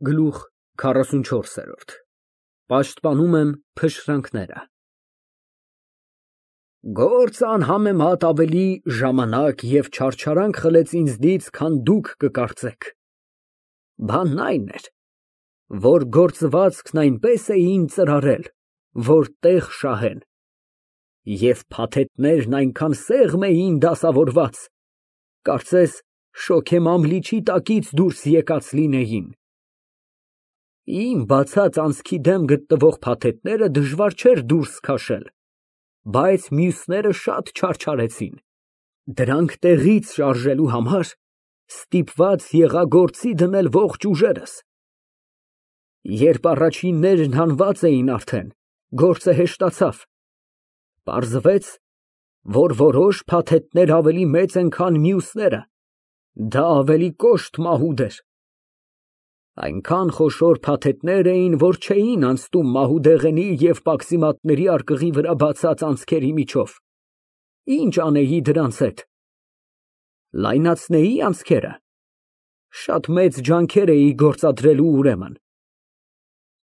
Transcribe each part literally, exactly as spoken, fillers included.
Գլուխ քառասունչորս։ Պաշտպանում եմ փշրանքները։ Գործ անհամեմատ ավելի ժամանակ և չարչարանք խլեց ինձնից, քան դուք կկարծեք, բանն այն էր, որ գործվածքն այնպես էին ծրարել, որ տեղ շահեն, և փաթեթներն այնքան սեղմ էին դասավորված, կարծես շոգեմամլիչի տակից դուրս եկած լինեին։ Իմ բացած անցքի դեմ գտնվող փաթեթները դժվար չէր դուրս քաշել, բայց մյուսները շատ չարչարեցին, դրանք տեղից շարժելու համար ստիպված եղա գործի դնել ողջ ուժերս։ Երբ առաջիններն հանված էին արդեն, գործը հեշտացավ, պարզվեց, որ որոշ փաթեթներ ավելի մեծ են, քան մյուսները, դա ավելի կոշտ մահուդ էր։ Այնքան խոշոր փաթեթներ էին, որ չէին անցնում մահուդեղենի և պաքսիմատների արկղի վրա բացած անցքերի միջով։ Ինչ անեի դրանց հետ։ Լայնացնեի անցքերը։ Շատ մեծ ջանքեր էի գործադրելու ուրեմն։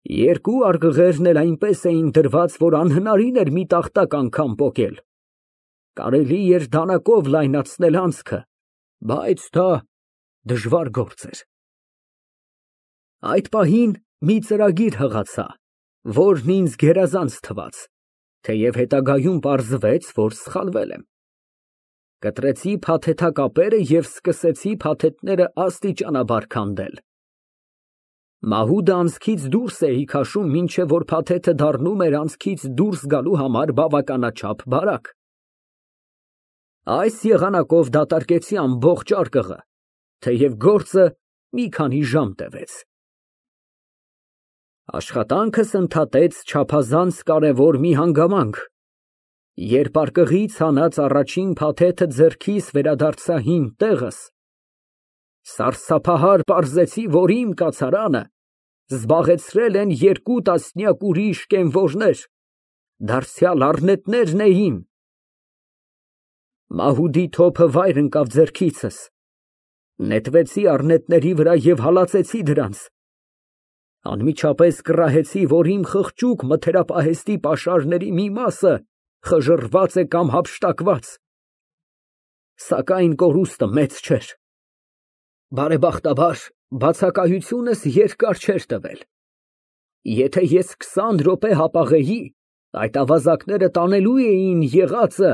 Երկու արկղերն էլ այնպես էին դրված, որ անհնարին էր մի տախտակ անգամ պոկել։ Կարելի էր դանակով լայնացնել անցքը, բայց դա դժվար գործ էր։ Այդ պահին մի ծրագիր հղացա, որն ինձ գերազանց թվաց, թեև հետագայում պարզվեց, որ սխալվել եմ։ Կտրեցի փաթեթակապերը և սկսեցի փաթեթները աստիճանաբար քանդել։ Մահուդը անցքից դուրս էի քաշում, մինչև որ փաթեթը դառնում էր անցքից դուրս գալու համար բավականաչափ բարակ։ Այս եղանակով դատարկեցի ամբողջ արկղը, թեև գործը մի քանի ժամ տևեց։ Աշխատանքս ընդհատեց չափազանց կարևոր մի հանգամանք, երբ արկղից հանած առաջին փաթեթը ձեռքիս վերադարձա հին տեղս, սարսափահար պարզեցի, որ իմ կացարանը զբաղեցրել են երկու տասնյակ ուրիշ կենվորներ, դարձյալ առնետներն էին։ Մահուդի թոփը վայր ընկավ ձեռքիցս, նետվեցի առնետների վրա և հալածեցի դրանց, անմիջապես կռահեցի, որ իմ խղճուկ մթերապահեստի պաշարների մի մասը խժռված է կամ հափշտակված, սակայն կորուստը մեծ չէր։ Բարեբախտաբար, բացակայությունս երկար չէր տևել։ Եթե ես քսան րոպե հապաղեի, այդ ավազակները տանելու էին եղածը,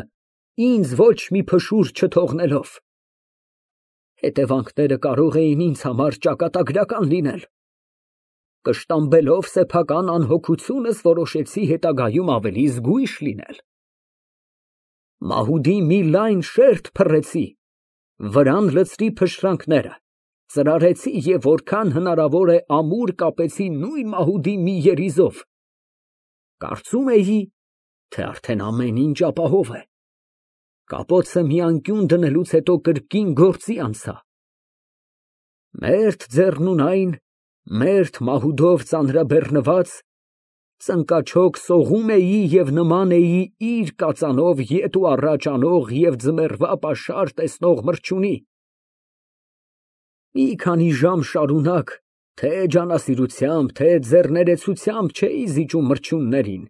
ինձ ոչ մի փշուր չթողնելով։ Հետևանքները կարող էին ինձ համար ճակատագրական լինել։ Կշտամբելով սեփական անհոգությունս, որոշեցի հետագայում ավելի զգույշ լինել։ Մահուդի մի լայն շերտ փռեցի, վրան լցրի փշրանքները, ծրարեցի և որքան հնարավոր է ամուր կապեցի նույն մահուդի մի երիզով։ Կարծում էի, թե արդեն ամեն ինչ ապահով է։ Կապոցը մի անկյուն դնելուց հետո կրկին գործի անցա։ Մերթ ձեռնունայն, մերթ մահուդով ծանրաբեռնված, ծնկաչոք սողում էի և նման էի իր կածանով ետ ու առաջ անող և ձմեռվա պաշար տեսնող մրջյունի։ Մի քանի ժամ շարունակ թե ջանասիրությամբ, թե ձեռներեցությամբ չէի զիջում մրջյուններին։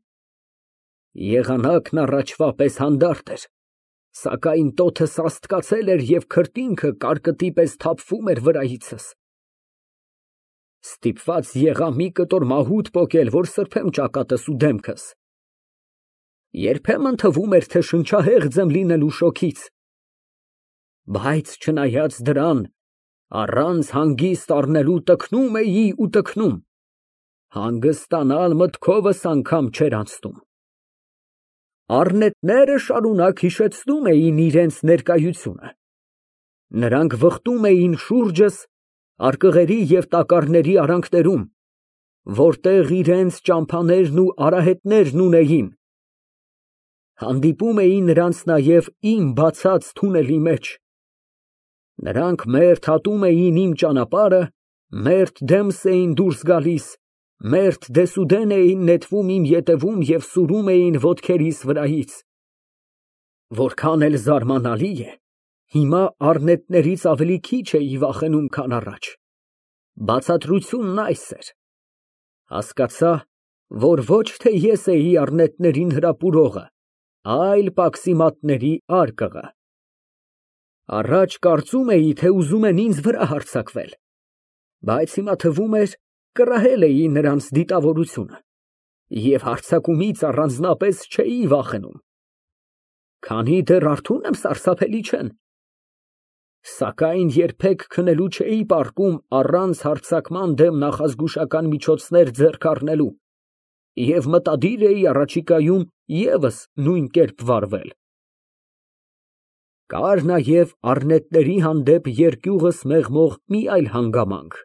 Եղանակն առաջվա պես հանդարտ էր, սակայն տոթը սաստկացել էր և քրտինքը կարկտի պես թափվում էր վրայիցս։ Ստիպված եղա մի կտոր մահուդ պոկել, որ սրբեմ ճակատս ու դեմքս։ Երբեմն թվում էր, թե շնչահեղձ եմ լինելու շոգից։ Բայց չնայած դրան, առանց հանգիստ առնելու տքնում էի ու տքնում, հանգստանալ մտքովս անգամ չէր անցնում։ Առնետները շարունակ հիշեցնում էին իրենց ներկայությունը։ Նրանք վխտում էին շուրջս, արկղերի և տակառների արանքներում, որտեղ իրենց ճամփաներն ու արահետներն ունեին։ Հանդիպում էի նրանց նաև իմ բացած թունելի մեջ։ Նրանք մերթ հատում էին իմ ճանապարհը, մերթ դեմս էին դուրս գալիս, մերթ դեսուդեն էին նետվում իմ ետևում և սուրում էին ոտքերիս վրայից։ Որքան էլ զարմանալի է, հիմա առնետներից ավելի քիչ էի վախենում, քան առաջ։ Բացատրությունն այս էր. հասկացա, որ ոչ թե ես էի առնետներին հրապուրողը, այլ պաքսիմատների արկղը։ Առաջ կարծում էի, թե ուզում են ինձ վրա հարձակվել, բայց հիմա թվում էր, կռահել էի նրանց դիտավորությունը և հարձակումից առանձնապես չէի վախենում։ Քանի դեռ արթուն եմ, սարսափելի չեն։ Սակայն երբեք քնելու չէի պառկում առանց հարձակման դեմ նախազգուշական միջոցներ ձեռք առնելու և մտադիր էի առաջիկայում ևս նույն կերպ վարվել։ Կար նաև առնետների հանդեպ երկյուղս մեղմող մի այլ հանգամանք.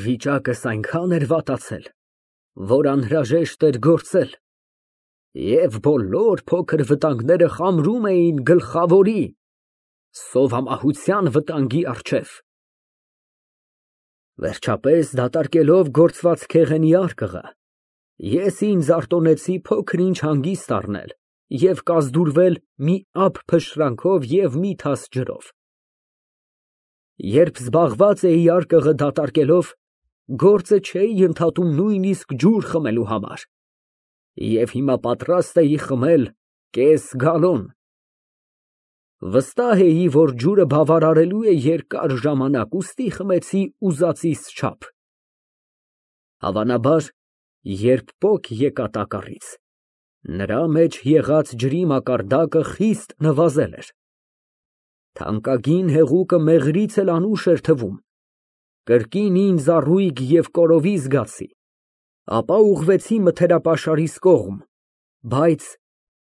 վիճակս այնքան էր վատացել, որ անհրաժեշտ էր գործել, և բոլոր փոքր վտանգները խամրում էին գլխավորի՝ սովամահության վտանգի առջև։ Վերջապես, դատարկելով գործված քեղենի արկղը, ես ինձ արտոնեցի փոքր֊ինչ հանգիստ առնել և կազդուրվել մի ափ փշրանքով և մի թաս ջրով։ Երբ զբաղված էի արկղը դատարկելով, գործը չէի ընդհատում նույնիսկ ջուր խմելու համար և հիմա պատրաստ էի խմել կես գալոն։ Վստահ էի, որ ջուրը բավարարելու է երկար ժամանակ, ուստի խմեցի ուզածիս չափ։ Հավանաբար, երբ պոկ եկա տակառից, նրա մեջ եղած ջրի մակարդակը խիստ նվազել էր։ Թանկագին հեղուկը մեղրից էլ անուշ էր թվում, կրկին ինձ առույգ և կորովի զգացի, ապա ուղղվեցի մթերապաշարիս կողմ, բայց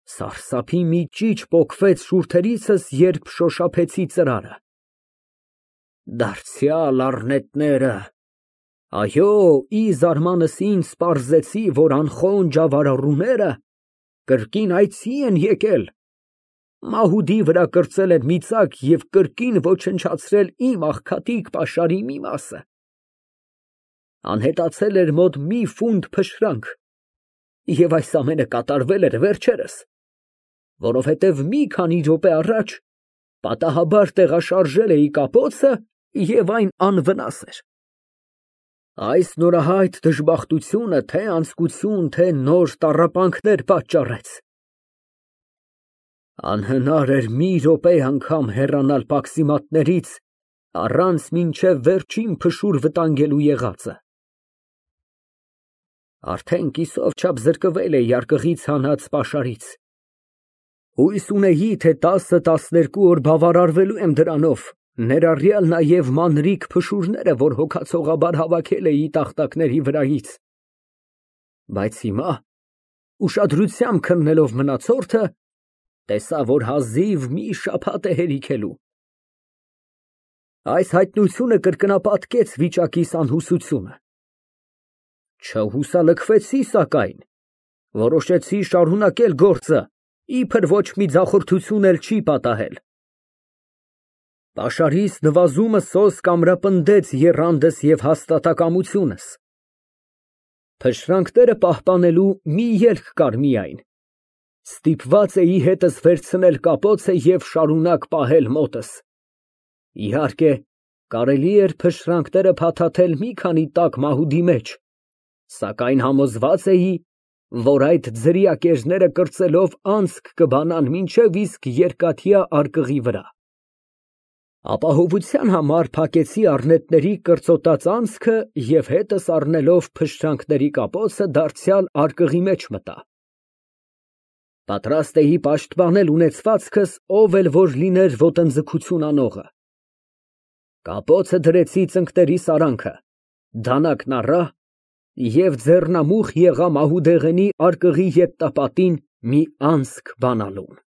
սարսափի մի ճիչ պոկվեց շուրթերիցս, երբ շոշափեցի ծրարը։ Դարձյալ առնետները… Այո, ի զարմանս ինձ պարզեցի, որ անխոն ջավարառուները կրկին այցի են եկել, մահուդի վրա կրծել են մի ծակ և կրկին ոչնչացրել իմ աղքատիկ պաշարի մի մասը։ Անհետացել էր մոտ մի ֆունտ փշրանք, և այս ամենը կատարվել էր վերջերս, որովհետև մի քանի րոպե առաջ պատահաբար տեղաշարժել էի կապոցը և այն անվնաս էր։ Այս նորահայտ դժբախտությունը թե՛ անձկություն, թե՛ նոր տառապանքներ պատճառեց։ Անհնար էր մի րոպե անգամ հեռանալ պաքսիմատներից, առանց մինչև վերջին փշուր վտանգելու եղածը։ Արդեն կիսով չափ զրկվել էի արկղից հանած պաշարից։ Հույս ունեի, թե տասը֊տասներկու օր բավարարվելու եմ դրանով, ներառյալ նաև մանրիկ փշուրները, որ հոգացողաբար հավաքել էի տախտակների վրայից, բայց հիմա, ուշադրությամբ քննելով մնացորդը, տեսա, որ հազիվ մի շաբաթ է հերիքելու։ Այս հայտնությունը կրկնապատկեց վիճակիս անհուսությունը։ Չհուսալքվեցի, սակայն, որոշեցի շարունակել գործը, իբր ոչ մի ձախորդություն էլ չի պատահել։ Պաշարիս նվազումը սոսկ ամրապնդեց եռանդս և հաստատակամությունս։ Փշրանքները պահպանելու մի ելք կար միայն. ստիպված էի հետս վերցնել կապոցը և շարունակ պահել մոտս։ Իհարկե, կարելի էր փշրանքները փաթաթել մի քանի տաք մահուդի մեջ, սակայն համոզված էի, որ այդ ձրիակերները կրծելով անցք կբանան մինչև իսկ երկաթյա արկղի վրա։ Ապահովության համար փակեցի առնետների կրծոտած անցքը և հետս առնելով փշրանքների կապոցը դարձյալ արկղի մեջ մտա։ Պատրաստ էի պաշտպանել ունեցվածքս, ով էլ որ լիներ ոտնձգություն անողը։ Կապոցը դրեցի ծնկներիս արանքը, դանակն առա և ձեռնամուխ եղա մահուդեղենի արկղի ետտապատին մի անցք բանալուն։